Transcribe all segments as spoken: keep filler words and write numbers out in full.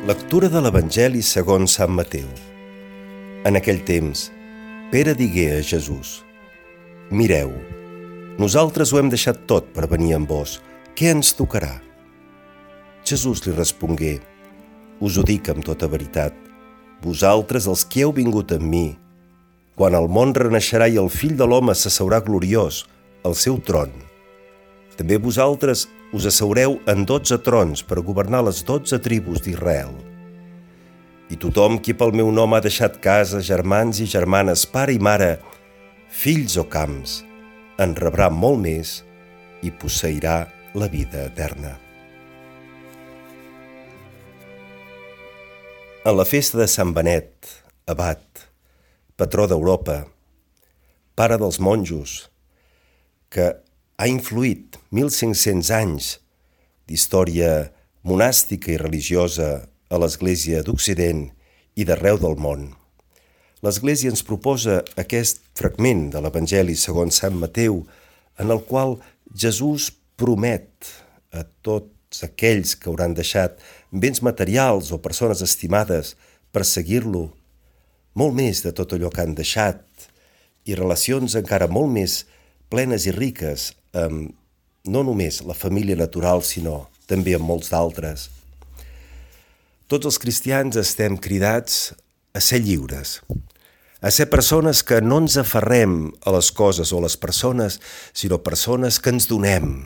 Lectura de l'Evangeli segons Sant Mateu. En aquell temps, Pere digué a Jesús: «Mireu, nosaltres ho hem deixat tot per venir amb vos. Què ens tocarà?» Jesús li respongué: «Us ho dic amb tota veritat. Vosaltres, els que heu vingut amb mi, quan el món renaixerà i el Fill de l'home s'asseurà gloriós al seu tron, també vosaltres us asseureu en dotze trons per governar les dotze tribus d'Israel. I tothom qui pel meu nom ha deixat casa, germans i germanes, pare i mare, fills o camps, en rebrà molt més i posseirà la vida eterna». En la festa de Sant Benet, abat, patró d'Europa, pare dels monjos, que ha influït mil cinc-cents anys d'història monàstica i religiosa a l'Església d'Occident i d'arreu del món. L'Església ens proposa aquest fragment de l'Evangeli segons Sant Mateu, en el qual Jesús promet a tots aquells que hauran deixat béns materials o persones estimades per seguir-lo, molt més de tot allò que han deixat, i relacions encara molt més plenes i riques amb no només la família natural, sinó també amb molts d'altres. Tots els cristians estem cridats a ser lliures, a ser persones que no ens aferrem a les coses o a les persones, sinó persones que ens donem,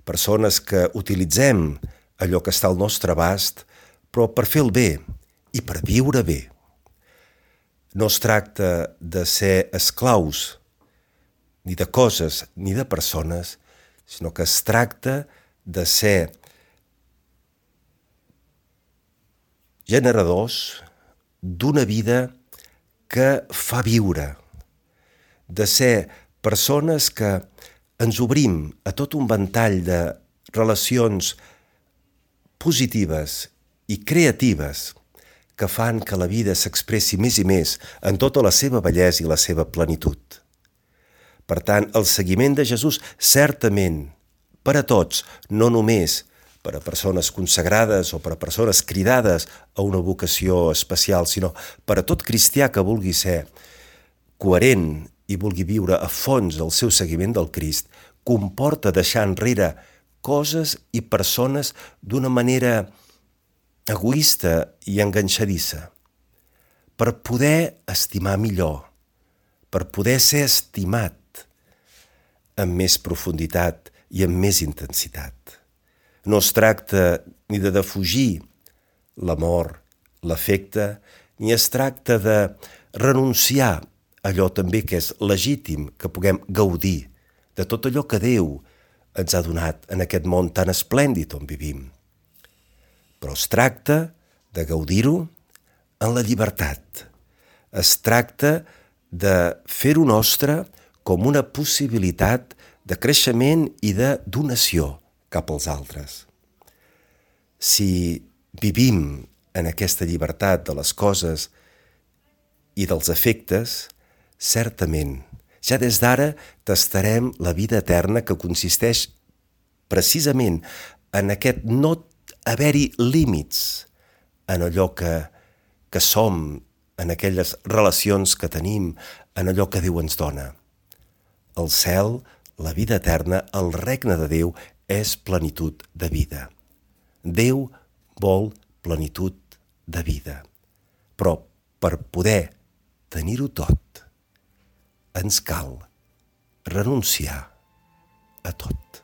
persones que utilitzem allò que està al nostre abast, però per fer el bé i per viure bé. No es tracta de ser esclaus ni de coses ni de persones, sinó que es tracta de ser generadors d'una vida que fa viure, de ser persones que ens obrim a tot un ventall de relacions positives i creatives que fan que la vida s'expressi més i més en tota la seva bellesa i la seva plenitud. Per tant, el seguiment de Jesús certament per a tots, no només per a persones consagrades o per a persones cridades a una vocació especial, sinó per a tot cristià que vulgui ser coherent i vulgui viure a fons el seu seguiment del Crist, comporta deixar enrere coses i persones d'una manera egoista i enganxadissa, per poder estimar millor, per poder ser estimat amb més profunditat i amb més intensitat. No es tracta ni de defugir l'amor, l'afecte, ni es tracta de renunciar a allò també que és legítim que puguem gaudir de tot allò que Déu ens ha donat en aquest món tan esplèndid on vivim. Però es tracta de gaudir-ho en la llibertat. Es tracta de fer-ho nostre com una possibilitat de creixement i de donació cap als altres. Si vivim en aquesta llibertat de les coses i dels afectes, certament, ja des d'ara tastarem la vida eterna, que consisteix precisament en aquest no haver-hi límits en allò que, que som, en aquelles relacions que tenim, en allò que Déu ens dona. El cel, la vida eterna, el regne de Déu és plenitud de vida. Déu vol plenitud de vida. Però per poder tenir-ho tot, ens cal renunciar a tot.